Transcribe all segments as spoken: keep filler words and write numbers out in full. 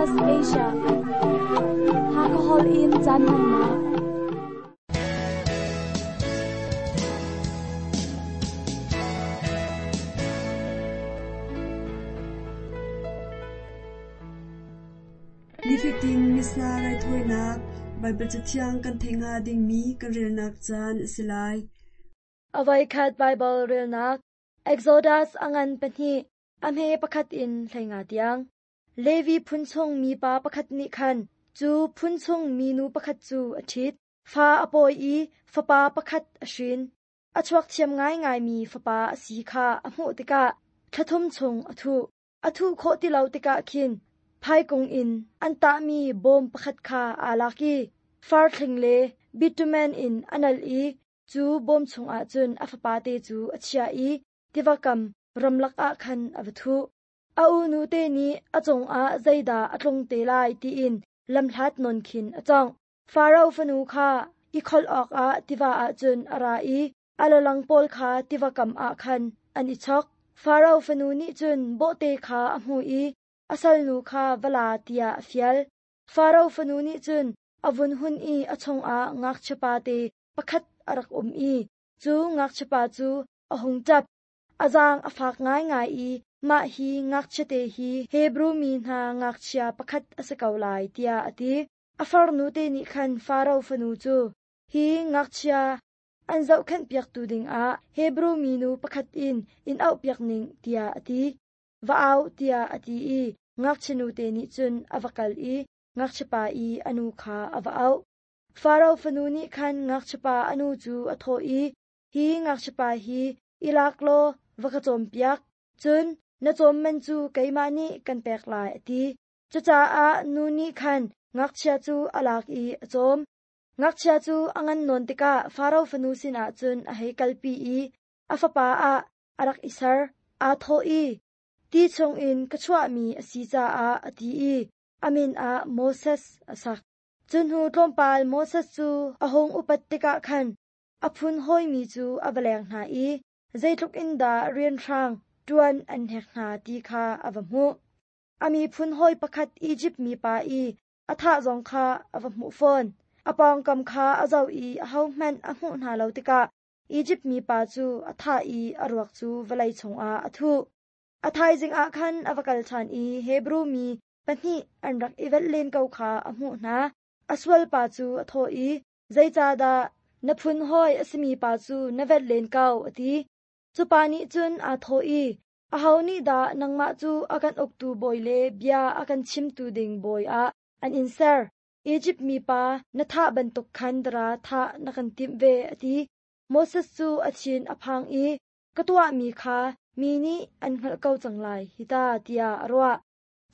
S B S Asia Hakahol in caan hmannak. Nifatin Missa raithawinak Baibal Cathiang kan theih hnga dingmi kan relnak caan a si lai. Avoikhat Baibal relnak Exodus a ngan pahnih a hme pakhat in hleinga tiang. Levi phun chung mipa pakhat nih khan cu phun chung minu pakhat cu a ṭhit. Fa a pawi i fapa pakhat a hrin. A chuak thiam ngaingaimi fapa a si kha a hmuh tikah thla thum chung a thuh. A thuh khawh ti lo tikah khin phaikung in an tahmi bawm pakhat kha aa lak i farthling le bitumen in a nal i cu bawm chungah cun a fapate cu a chiah i tiva kam ramlak ah khan a va thuh. A unu te nih a cungah zeidah a tlung te lai tiin lamhlat nawn khin a cawngh. Faro fanu kha i kholh awkah tiva ah cun a ra i a lalang pawl kha tiva kam ah khan an i chok. Faro fanu nih cun bawhte kha a hmuh i a salnu kha va la tiah a fial. Faro fanu nih cun a vun hun i a chungah ngakchiapa te pakhat a rak um i cu ngakchiapa cu a hung ṭap. A zaang a fak ngaingai i mah hi ngakchiate hi Hebru mi hna ngakchia pakhat a si ko lai tiah a ti. A farnu te nih khan Faro fanu cu hi ngakchia an zohkhenhpiaktu dingah Hebru minu pakhat in in auhpiak ning tiah a ti. Va au tiah a ti i ngakchia te nih cun a va kal i ngakchiapa i a nu kha a va auh. Faro fanu nih khan ngakchiapa a nu cu a thawh i hi ngakchiapa hi i lak law va ka cawmpiak, cun na cawm man cu keimah nih kan pek lai a ti. Cucaah nu nih khan ngakchia cu a lak i a cawm. Ngakchia cu a ngan nawn tikah Faro fanu sinah cun a hei kalpi i a fapa ah a rak i ser. Aa thawh i ti chungin ka chuahmi a si caah a ti i a min ah Moses a sak. Cu hnu tlawmpal Moses cu a hung upat tikah khan a phun hawimi cu a va leng hna i zeitluk in dah rianhrang ṭuan an hnek hna ti kha a va hmuh. A miphun hawi pakhat Izipt mipa i a thah zong kha a va hmuh fawn. A pawngkam kha a zoh i ahohmanh a hmuh hna lo tikah Izipt mipa cu a thah i a ruak cu vawlei chungah a thuh. A thaizing ah khan a va kal ṭhan i Hebru mi pahnih an rak i velh len ko kha a hmuh hna. A sualpa cu a thawh i, zeicahdah na phun hawi a simi pa cu na velh len ko, a ti. Cu pa nih cun aa thawh i, aho nih dah nangmah cu a kan uktu bawi le bia a kan chimtu ding bawi ah an in ser? Izipt mipa na thah bantuk khan dara thah na kan timh ve, a ti. Moses cu a thin a phang i, ka tuahmi kha mi nih an hngalh ko cang lai hi ta, tiah a ruah.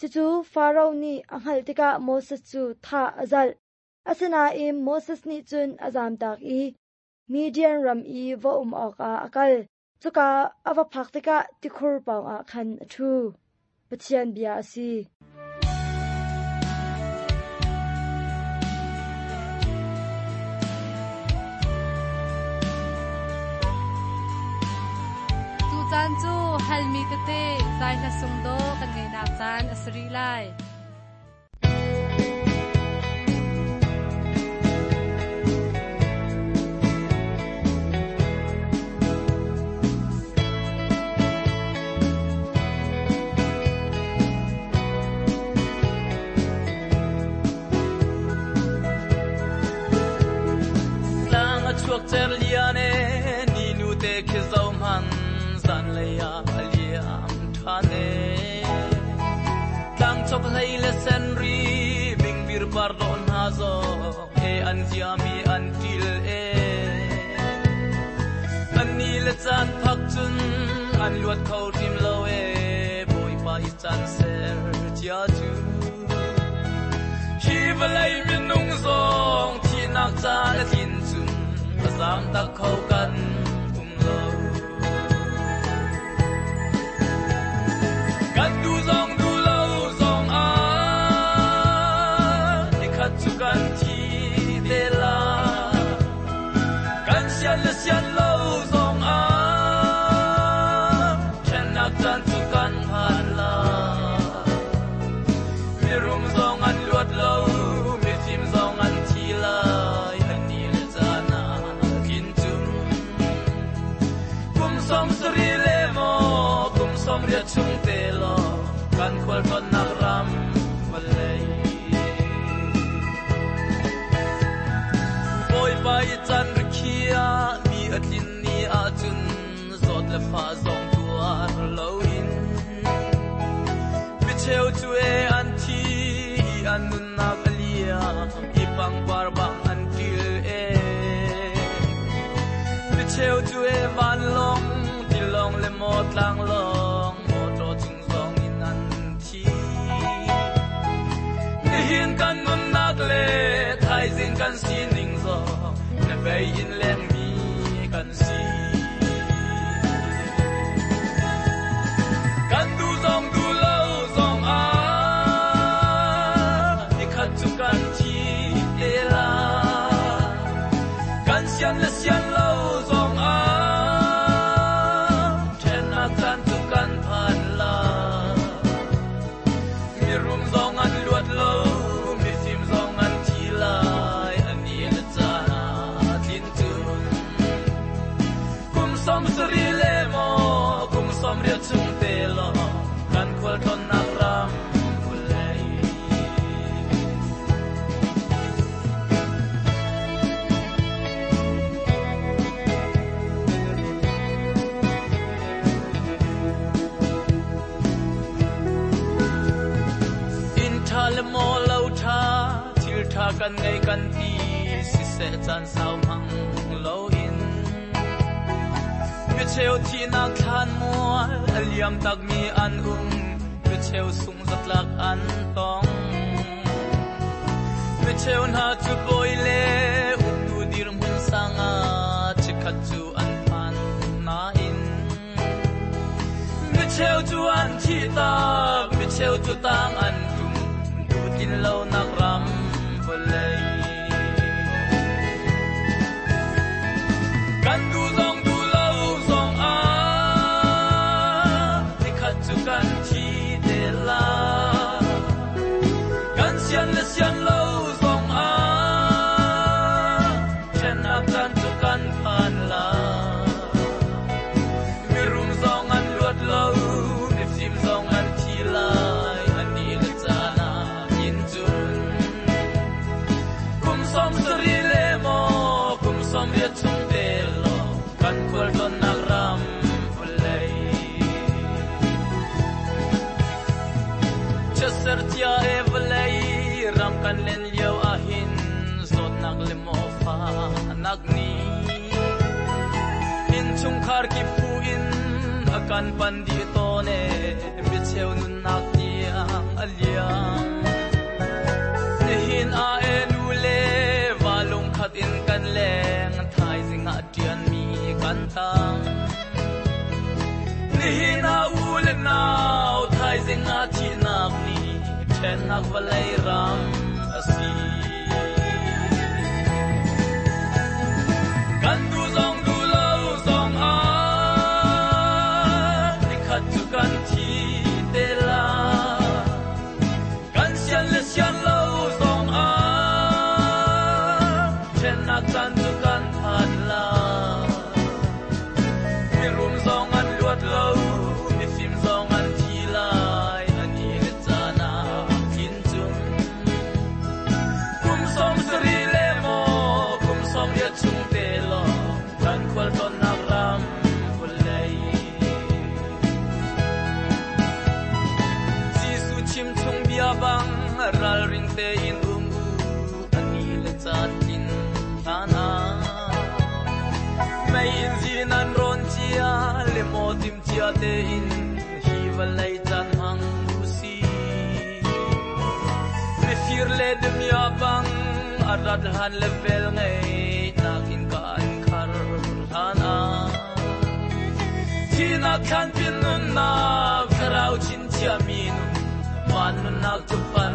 Cucu Faro nih a hngalh tikah Moses cu thah a zalh. Asinain Moses nih cun a zamtak i Midian ram i va um awkah a kal. Cuka a va phak tikah tikhur pawngah khan a ṭhu. Pathian bia a si. Tucaan cu halmi tete zai hla sung do kan ngeinak caan a si rih lai. Tlang a chuak cer lian e ni nu te khi zo man zan lei ah a liam ṭhan e. Tlang chok hlei le sen ri bingbir par dawh hna zong e an ziami an ṭil e. An ni le caan phak cun an luat kho hrim lo e, Bawipa i caan ser cia cu. Hi vawlei minung zong thihnak caan a tlin cun a zaam tak kho kan um lo. Kan duh zong duh lo zong ah nikhat cu kan thi te la. Kan sian le sian lo zong ah ṭhennak caan cu kan phan la. Mirum zong an luat lo, mifim zong an thi lai, an ni le caan ah tlin cun. Kum sawm sarih le maw, kum sawm riat chung te law, kan khualtlawnnak ram vawlei. Bawipa i caan rikhiah mi a tlin ni ahcun zawt le fa zong tuar loin. Micheu cu e an thi i an nunnak a liam, i pangpar bang an til e. Micheu cu e vanlawng, tilawng le maw tlanglawng, mawṭaw cung zong in an thi. Nihin kan nunnak le thaizing kan sining zong, na bei in lengmi kan si. Kan duh zong duh lo zong ah, nikhat cu kan thi te lai. Kan sian le sian lo zong ah, ṭhennak caan cu kan phan lai. Mirum zong an luat lo, mifim zong an thi lai, an ni le caan ah tlin cun. Kum sawm sarih le maw, kum sawm riat chung te law, kan khualtlawnnak ram vawlei. Inn ṭha le maw lo ṭha, thil ṭha kan ngei kan ti, siseh caan sau hmang loin. Micheu thihnak thlan mual, a liam takmi an um, micheu sung zatlak an tong. Micheu hna cu bawi le uktu dirhmun sang ah chikkhat cu an phan nain. Micheu cu an thi tak, micheu cu tang an tum, duhtlin lonak ram vawlei. Kan duh zong duh lo zong ah, nikhat cu kan thi te lai. Kan sian le sian lo zong ah, ṭhennak caan cu kan phan lai. Mirum zong an luat lo, mifim zong an thi lai, an ni le caan ah tlin cun. Kum sawm sarih le maw, kum sawm riat chung te law, kan khualtlawnnak ram vawlei. Chiatser cia e vawlei, ram kan len lio ahhin, zawtnak le maw fahnak nih. Innchungkhar kip phu in a kan pan dih tawn e, micheu nunnak tiang a liam. Nihin ah e nu le va lungkhat in kan leng, thaizing ah ṭianmi kan tang. Nihin ah u le nau, thaizing ah thihnak nih, ṭhennak vawlei ram a si. Kan duh zong duh lo zong ah, nikhat cu kan thi te lai. Kan sian le sian lo zong ah, ṭhennak caan cu kan phan lai. Mirum zong an luat lo, mifim zong an thi lai, an ni le caan ah tlin cun. Kum sawm sarih le maw, kum sawm riat chung te law, kan khualtlawnnak ram vawlei. Jesuh chim chung bia bang, ralring tein um u, an ni le caan tlin hlan ah. Mei in zin an rawn cia, le maw tim cia tein, hi vawlei caan hmang u si. Mifir le damiah bang, a rat hlan le vel ngei, nak in ka an khar hlan ah. Thihnak thlan pin nunnak, thlarau chinchiah mi nun, van nunnak cu pan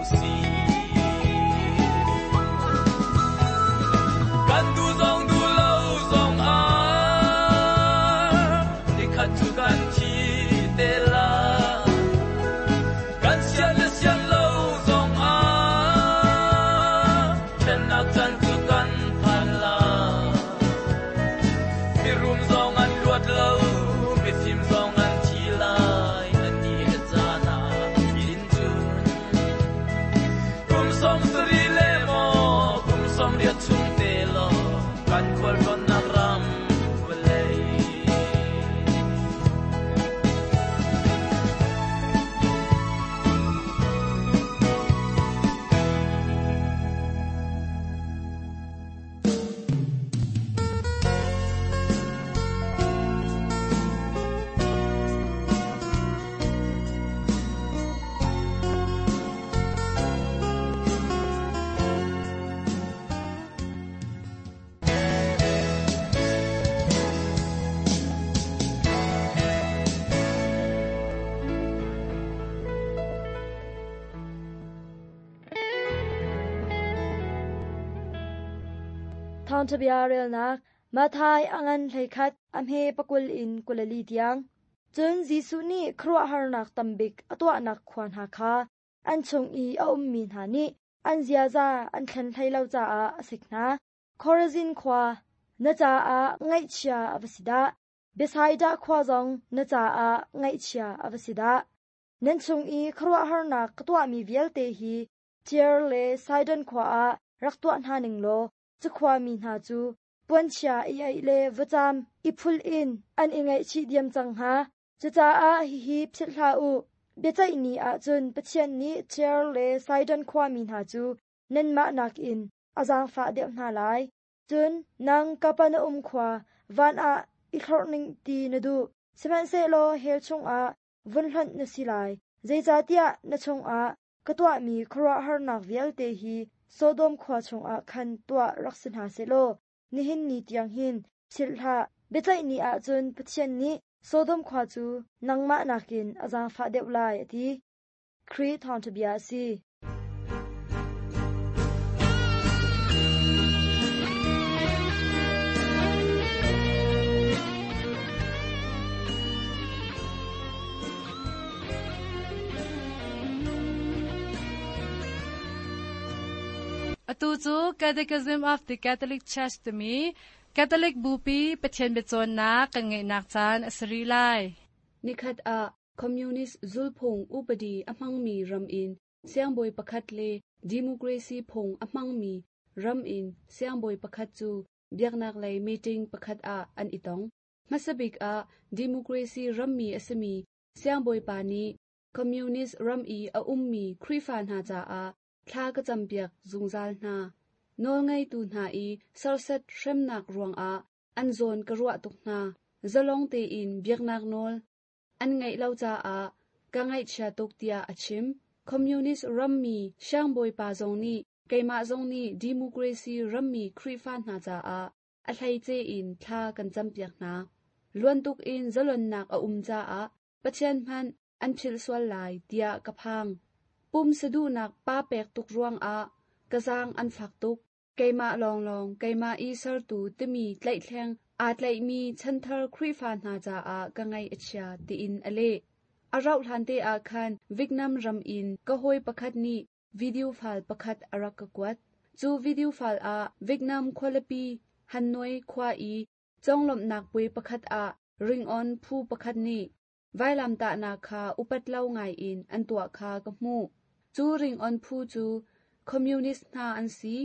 u si. Kan duh zong duh lo zong ah, nikhat cu kan thi te lai. Kan sian le sian lo Som sari le maw kum som riat chung te lo kan khual tlawnnak ram vawlei. Thawngṭha bia relnak Matthai a ngan hleikhat a hme pakul in kulali tiang. Cun Jesuh nih khuaruahharnak tambik a tuahnak khua hna kha an chung i a ummi hna nih an ziaza an thlen hlei lo caah a sik hna. Khorazin khua, na caah ngaihchia a va si dah! Bethsaida khua zong na caah ngaihchia a va si dah! Nan chung i khuaruahharnak ka tuahmi vialte hi Tyre le Sidon khua ah rak tuah hna ning law cu khuami hna cu puanchia i aih le vawcam i phul in an i ngaihchih diam cang hnga. Cucaah hihi philh hlah u. Biaceih ni ahcun Pathian nih Tyre le Sidon khuami hna cu nanmah nakin a zaangfah deuh hna lai. Cun nang Kapernaum khua, van ah i hlorh ning ti na duh. Sihmanhsehlaw hell chungah vun hlonh na si lai. Zeicahtiah na chungah ka tuahmi khuaruahharnak vialte hi Sodom khua chungah khan tuah rak si hna sehlaw nihin ni tiang hin philh hlah. Biaceih ni ahcun Pathian nih Sodom khua cu nangmah nakin a zaangfah deuh lai, a ti. Khrih thawngṭha bia a si. Atu cu Catechism of the Catholic Church timi Catholic Bupi Pathian biacawnnak kan ngeihnak caan a si rih lai. Nikhat ah Communist zulphung upadi a hmangmi ram in siangbawi pakhat le democracy phung a hmangmi ram in siangbawi pakhat cu biaknak lei meeting pakhat ah an i tong. Hmasa bik ah democracy rammi a simi siangbawi pa nih Communist ram i a ummi Khrihfa hna caah thla ka campiak zungzal hna. Nawlngeitu hna i serset hremnak ruangah an zawn ka ruah tuk hna. Zalong tein biaknak nawl an ngeih lo caah ka ngaihchia tuk tiah a chim. Communist rammi siangbawi pa zong nih keimah zong nih democracy rammi Khrihfa hna caah a hleice in thla kan campiak hna. Luan tuk in zalonnak a um caah Pathian hmanh an philh sual lai tiah ka phang. Pum saduhnak pa pek tuk ruangah ka zaang an fak tuk. Keimah lawnglawng keimah i sertu timi tlaihtleng aa tlaihmi chanthar Khrihfa hna caah ka ngaih a chia tiin a leh. A rauh hlan te ah khan Vietnam ram in ka hawi pakhat nih video file pakhat a rak ka kuat. Cu video file ah Vietnam khualipi Hanoi khua i conglawmhnak puai pakhat ah ringawn phu pakhat nih vailamtahnak kha upat lo ngai in an tuah kha ka hmuh. Cu ringawn phu cu Communist hna an si.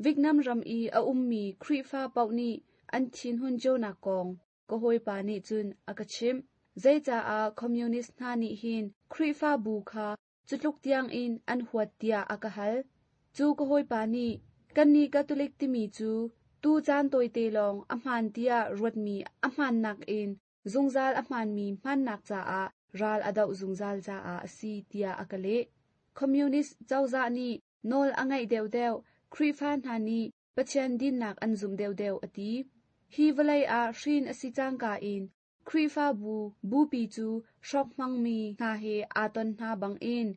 Vietnam ram i a ummi Khrihfa paoh nih an thinhun cionak kong ka hawipa nih cun a ka chimh. Zeicaah Communist hna nih hin Khrihfabu kha cutluk tiangin an huat tiah a ka hal. Cu ka hawipa nih kannih Catholic timi cu tu caan tawite lawng a hmaan tiah ruatmi a hmaannak in zungzal a hmaanmi hmaannak caah ral a doh zungzal caah a si tiah a ka leh. Communist cozah nih nawl a ngeih deuhdeuh, Khrihfa hna nih Pathian dinnak an zumh deuhdeuh a ti. Hi vawlei ah hrin a si cangka in Khrihfabu bupi cu hrawk hmangmi hna he aa ton hna bangin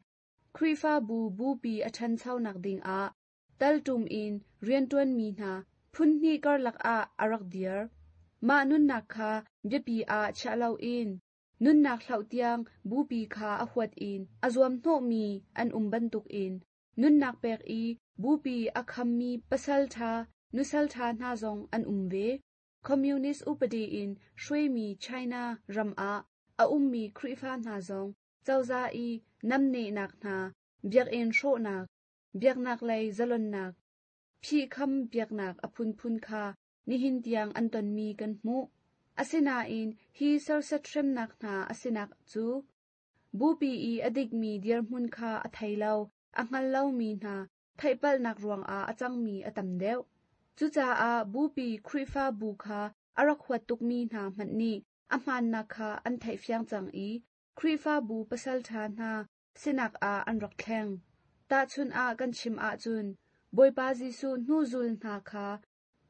Khrihfabu bupi a ṭhanchonak dingah talṭum in rianṭuanmi hna phunhnih karlak ah a rak dir. Mah nunnak kha biapi ah chiah loin nunnak hloh tiang bupi kha a huat in a zuamhnawhmi an um bantukin nunnak pek i bupi a khammi pasalṭha, nusalṭha hna zong an um ve. Communist upadi in hruaimi China ram ah a ummi Khrihfa hna zong cozah i namnehnak hna, biakinn hrawhnak, Biaknak lei zalonnak, phihkham biaknak a phunphun kha nihin tiang an tonmi kan hmuh. Asinain hi serhsat hremnak hna a sinak cu bupi i a dikmi dirhmun kha a thei lo, a hngal lomi hna theihpalhnak ruangah a cangmi a tam deuh. Cucaah bupi Khrihfabu kha a rak huat tukmi hna hmanh nih a hmaannak kha an theihfiang cang i Khrihfabu pasalṭha hna sinak ah an rak thleng. Tahchun ah kan chim ahcun Bawipa Jesuh hnuzul hna kha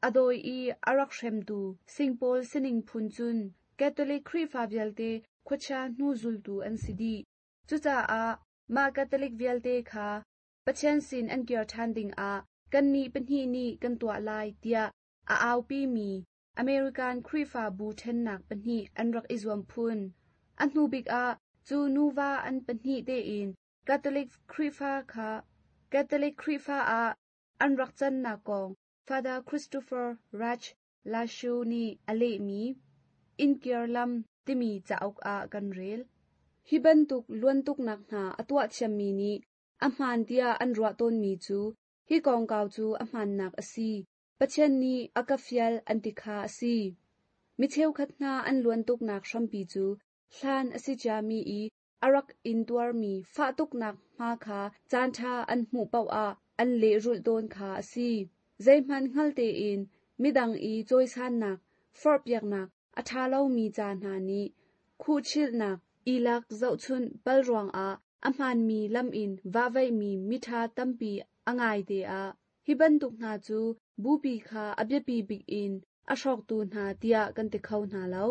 a dawi i a rak hremtu Singpaul sining phun cun Catholic Khrihfa vialte khuachia hnuzultu an si dih. Cucaah mah Catholic vialte kha Pathian sin an kir ṭhan dingah kannih pahnih nih kan tuah lai tiah a aupimi American Khrihfabu ṭhennak pahnih an rak i zuam phun. A hnu bik ah cu nuva an pahnih tein Catholic Khrihfa kha Catholic Khrihfa ah an rak cannak kong Father Christopher Raj Lashu nih a lehmi Innkir lam timi cauk ah kan rel. Hi bantuk luantuknak hna a tuah thiammi nih a hmaan tiah an ruah tawnmi cu hi kongkau cu a hmaannak a si. Pathian nih a ka fial an ti kha a si. Mi cheukhat hna an luantuknak hrampi cu hlan a si ciami i a rak in tuarmi fahtuknak hma kha caanṭha an hmuh paoh ah an lehrulh tawn kha a si. Zeihmanh hngal tein midang i cawisannak, forhpiaknak a ṭha lomi ca hna nih khuhchilhnak, ilak zohchunh pal ruangah a hmaanmi lam in vahvaihmi miṭha tampi a ngaite ah hi bantuk hna cu bupi kha a biapi bik in a hrawktu hna tiah kan ti kho hna lo.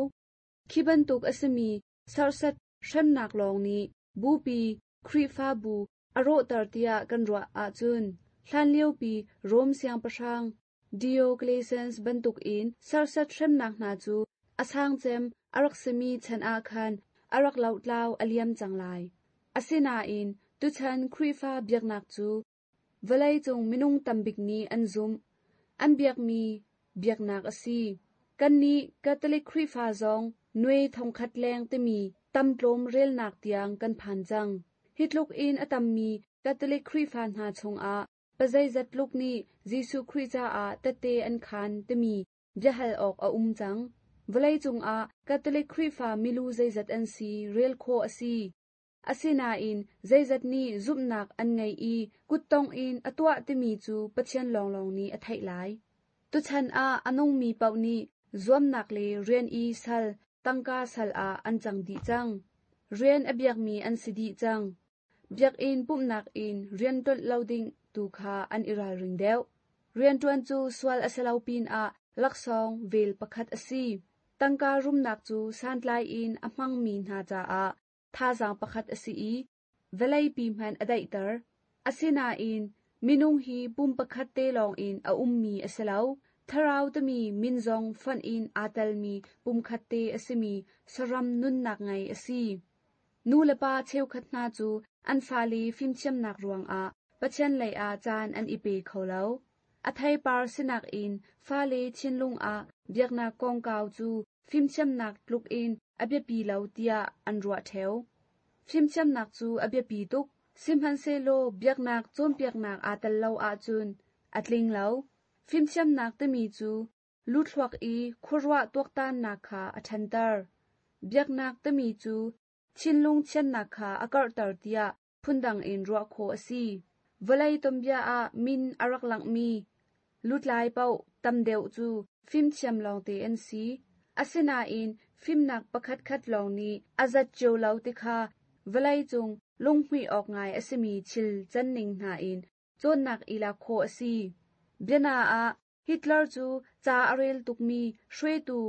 Khi bantuk a simi serhsat hremnak lawng nih bupi Khrihfabu a rawhter tiah kan ruah ahcun hlanliopi Rom siangpahrang Diocletian bantukin serhsat hremnak hna cu a sangcem a rak simi chan ah khan a rak lohtlau a liam cang lai. Asinain tuchan Khrihfa biaknak cu vawleicung minung tambik nih an zumh, an biakmi biaknak a si. Kannih Catholic Khrihfa zong nuai thongkhat leng timi tamtlawm relnak tiang kan phan cang. Hi tluk in a tammi Catholic Khrihfa hna chungah pazeizat tluk nih Jesuh Khrih caah tette an khaan timi biahal awk a um cang. Vawleicung ah Catholic Khrihfa milu zeizat an si rel khawh a si. Asinain zeizat nih zumhnak an ngei i kuttong in a tuah timi cu Pathian lawnglawng nih a theih lai. Tuchan ah a nungmi paoh nih zuamnak le rian i sal, tangka sal ah an cang dih cang. Rian a biakmi an si dih cang. Biakinn pumhnak in rian ṭolh lo ding tu kha an i ralring deuh. Rianṭuan cu sual a si lo pinah laksawng vel pakhat a si. Tangka rumnak cu santlai in a hmangmi hna caah thazaang pakhat a si i vawleipi hmanh a daihter. Asinain minung hi pum pakhat te lawngin a ummi a si lo. Thlarau timi min zong fonh in aa telmi pumkhat te a simi saram nunnak ngei a si. Nu le pa cheukhat hna cu an fale fimthiamnak ruangah Pathian lei ah caan an i pe kho lo. A theipar sinak in fale thinlung ah biaknak kongkau cu fimthiamnak tluk in a biapi lo tiah an ruah ṭheo. Fimthiamnak cu a biapi tuk, sihmanhsehlaw biaknak cawnpiaknak aa tel lo ahcun a tling lo. Fimthiamnak timi cu luthluak i khuaruah tuaktannak kha a ṭhanter. Biaknak timi cu thinlung thiannak kha a karhter tiah phundang in ruah khawh a si. Vawlei tuanbia ah min a rak langhmi lutlai paoh tam deuh cu fimthiam lawngte an si. Asinain fimnak pakhatkhat lawng nih a zat cio lo ti kha vawleicung lunghmuih awk ngai a simi thil canning hna in cawnnak i lak khawh a si. Biana ah Hitler cu ca a rel tukmi hruaitu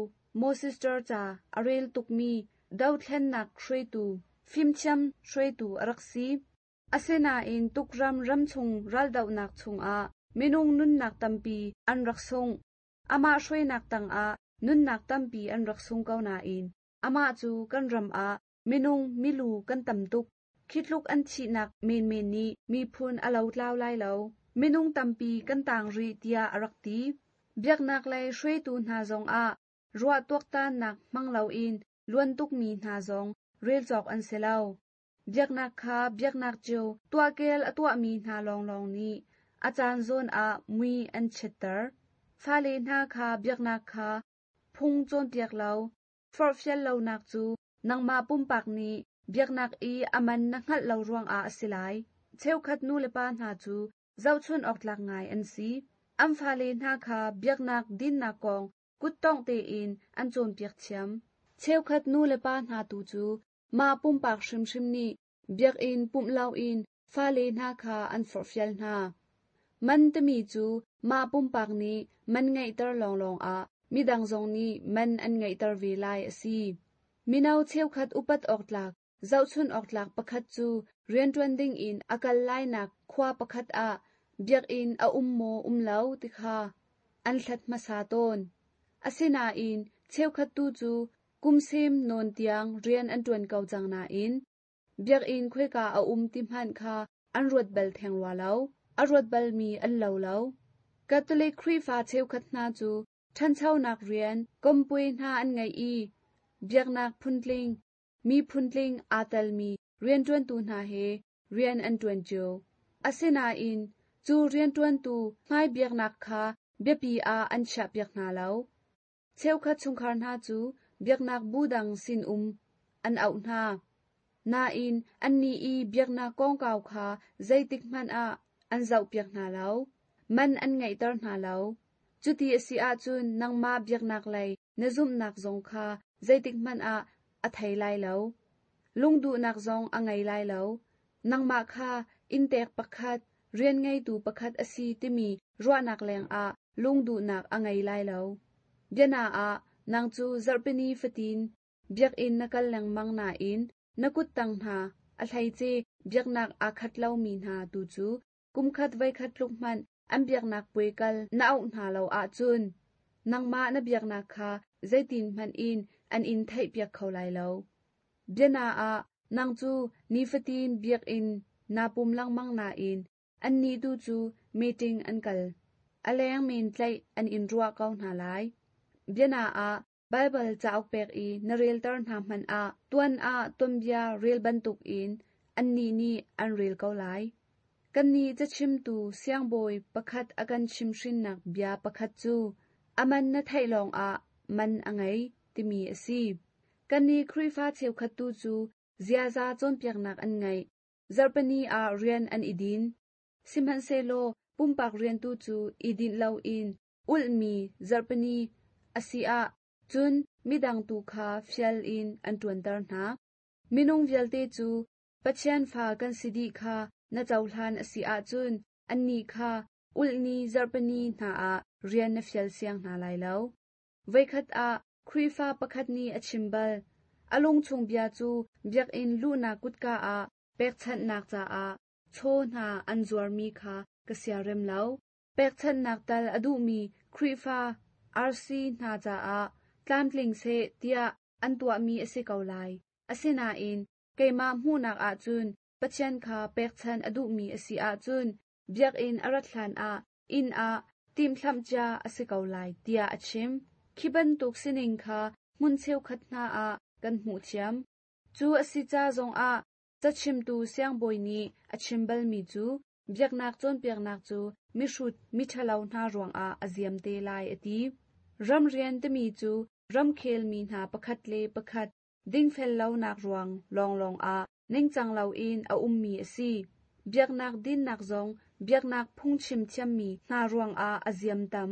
Mosister ca a rel tukmi dothlennak hruaitu fimthiam hruaitu a rak si. Asinain tukram ramchung raldohnak chungah minung nunnak tampi an rak sung. Amah hruainak tangah nunnak tampi an rak sung ko nain amah cu kan ram ah minung milu kan tam tuk. Khitluk an thihnak menmen nih miphun a lotlau lai lo. Minung tampi kan tang rih tiah a rak ti. Biaknak lei hruaitu hna zongah ruah tuaktannak hmang loin luan tukmi hna zong rel cawk an si lo. Biaknak kha biaknak cio tuahkel a tuahmi hna lawnglawng nih a caan zawn ah mui an chiatter. Fale hna kha biaknak kha phung cawnpiak lo, forhfial lonak cu nangmah pumpak nih biaknak i a man na hngalh lo ruangah a si lai. Cheukhat nulepa hna cu zohchun awk tlak ngai an si. An fale hna kha biaknak dinnak kong kuttongh tein an cawnpiak thiam. Cheukhat nulepa hna tu cu mah pumpak hrimhrim nih biakinn pumh loin fale hna kha an forhfial hna. Man timi cu mah pumpak nih man ngeihter lawnglawng ah midang zong nih man an ngeihter ve lai a si. Mino cheukhat upat awk tlak, zohchun awk tlak pakhat cu rianṭuan dingin a kal lainak khua pakhat ah biakinn a um maw um lo ti kha an hlat hmasa tawn. Asinain cheukhat tu cu kumsem nawn tiang rian an ṭuan ko cang nain biakinn khoika a um ti hmanh kha an ruat bal theng rua lo, a ruat balmi an lo lo. Catholic Khrihfa cheukhat hna cu ṭhanchonak rian kompui hna an ngei i biaknak phuntling, mi phuntling aa telmi rianṭuantu hna he rian an ṭuan cio. Asinain cu rianṭuantu hmai biaknak kha biapi ah an chiahpiak hna lo. Cheukhat chungkhar hna cu biaknak bu dang sinum an auh hna. Nain annih i biaknak kongkau kha zeitik hmanh ah an zohpiak hna lo. Man an ngeihter hna lo. Cuti a si ahcun nangmah biaknak lei na zumhnak zong kha zeitik hmanh ah a thei lai lo. Lungduhnak zong a ngei lai lo. Nangmah kha inntek pakhat, rian ngeitu pakhat a si timi ruahnak lengah lungduhnak a ngei lai lo. Biana ah nang cu zarhpini fatin biakinn na kal lengmang nain na kuttang hna a hleice biaknak aa khat lomi hna tu cu kumkhat voikhat tluk hmanh an biaknak puai kal na auh hna lo ahcun nangmah na biaknak kha zeitin hmanh in an in theihpiak kho lai lo. Biana ah nang cu nifatin biakinn naa pum lengmang nain annih tu cu meeting an kal. A leng men tlaih an in ruah ko hna lai. Biana ah Baibal cauk pek i na relter hna hmanh ah tuan ah tuanbia rel bantukin annih nih an rel ko lai. Kannih cachimtu siangbawi pakhat a kan chimhrinnak bia pakhat cu a man na theih lawngah man a ngei timi a si. Kannih Khrihfa cheukhat tu cu ziaza cawnpiaknak an ngeih. Zarhpini ah rian an i din. Sihmanhsehlaw pumpak rian tu cu i dinh loin ulhmi zarhpini a si ah cun midang tu kha fial in an ṭuanter hna. Minung vialte cu Pathian fa kan si dih kha na cohlan a si ahcun annih kha ulhni zarhpini hna ah rian na fial siang hna lai lo. Voikhat ah Khrihfa pakhat nih a chim bal. A lungchung bia cu biakinn luhnak kutka ah pekchanhnak caah chaw hna an zuarmi kha ka siarem lo. Pekchanhnak tal a duhmi Khrihfa R C hna caah tlamtling seh tiah an tuahmi a si ko lai. Asinain keimah hmuhnak ahcun Pathian kha pekchanh a duhmi a si ahcun biakinn a rat hlan ah inn ah timhlamh cia a si ko lai tiah a chim. Khi bantuk sining kha hmun cheukhat hna ah kan hmuh thiam. Cu a si ca zongah cachimtu siangbawi nih a chim balmi cu biaknak cawnpiaknak cu mihrut miṭhalo hna ruangah a ziam te lai a ti. Ramrian timi cu ramkhelmi hna pakhat le pakhat dingfel lonak ruang lawnglawng ah ningcang loin a ummi a si. Biaknak dinnak zong biaknak phungchim thiammi hna ruangah a ziam tam.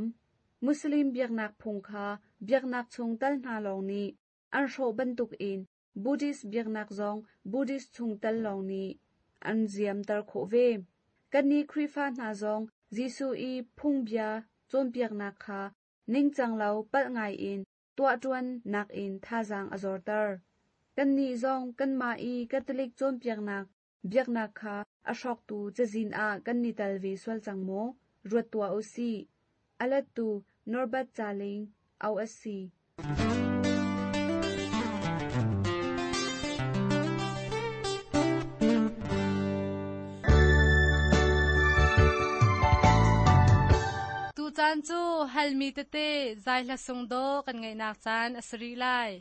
Muslim biaknak phung kha biaknak chung tal hna lawng nih an hrawh bantukin Buddhist biaknak zong Buddhist chung tal lawng nih an ziamter khawh ve. Kannih Khrihfa hna zong Jesuh i phungbia cawnpiaknak kha ningcang lo palh ngai in tuahṭuan nakin thazaang a zorter. Kannih zong kanmah i Catholic cawnpiaknak biaknak kha a hrawktu cazin ah kan ni tel ve sual cang maw? Ruat tuah u sih. Alattu Norbert Caling, O S C. Tu caan cu halmi tete zai hla sung do kan ngaihnak caan a si rih lai.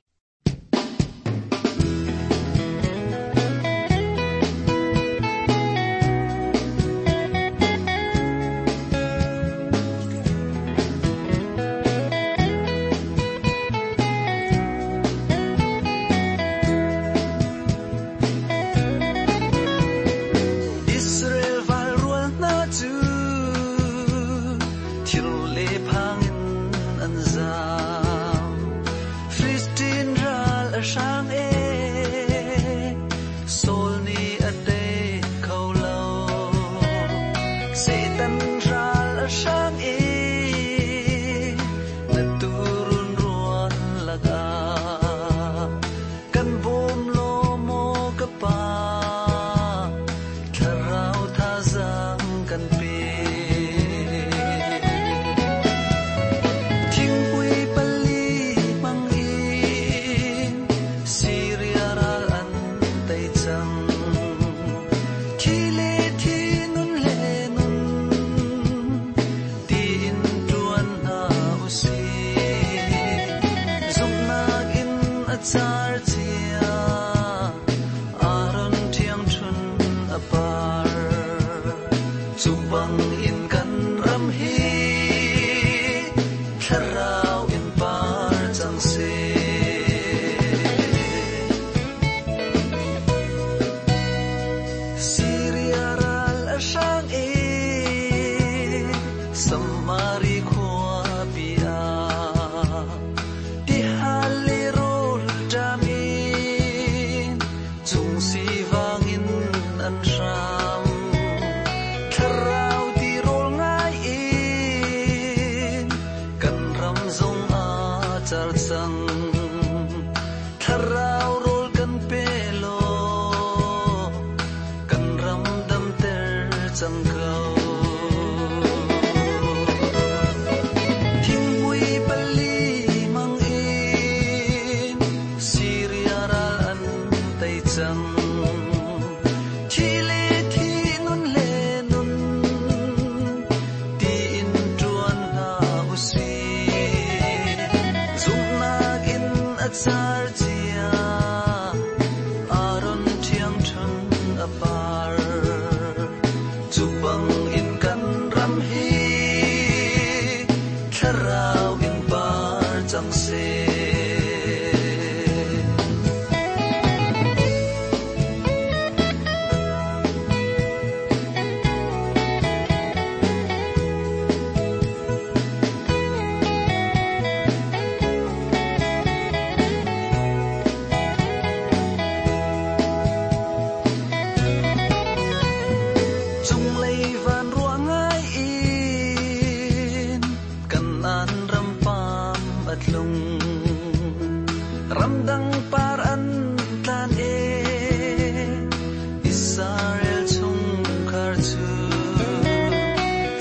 Satan ral a hrang i na turun ruan lakah kan bawm law maw ka pa thlarau thazaang kan pe. Thingpui pali hmang in Syria ral an tei cang. Thi le thi nun le nun tiin ṭuan hna usih. Zumhnak in a car cia Aaron ṭhiangṭhun a par. Cu bangin kan ram hi thlarau in par cang seh. Syria ral a hrang i Samari khuapi ah tihal le rawl ṭam in chung sivang in an hram. Thlarau tirawl ngai in kan ram zong a car cang. Thlarau rawl kan pe law kan ram damter cang ko. Thingmui pali mang in Syria ral an tei cang. Thi le thi nun le nun tiin ṭuan hna usih. Zumhnak in a car cia Aaron ṭhiangṭhun a par. Cu bangin kan ram hi thlarau in par cang seh. Cunglei van ruah ngai in kan an ram pam a tlung. Ramdang par an tlan e Israel chungkhar cu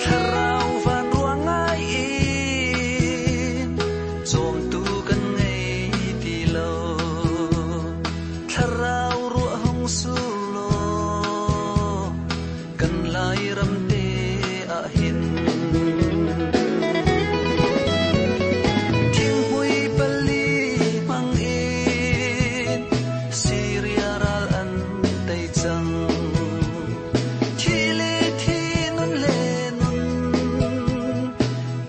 thlarau van ruah ngai in cawmtu kan ngei ti lo. Thlarau ruah hung sur law kan lai ram te ah hin. Thingpui pali hmang in Syria ral an tei cang. Thi le thi nun le nun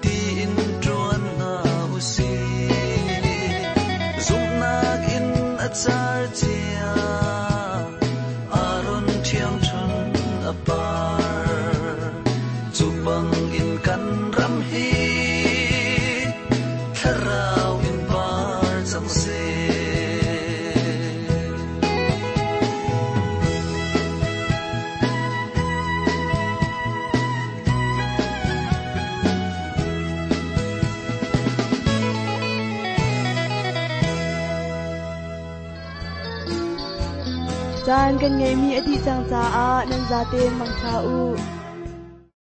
tiin ṭuan hna usih. Zumhnak in a car cia Aaron ṭhiangṭhun a par. Cu bangin kan ram hi thlarau in par cang seh. Caan kan ngeihmi a dih cang caah nan zaten mangṭha u.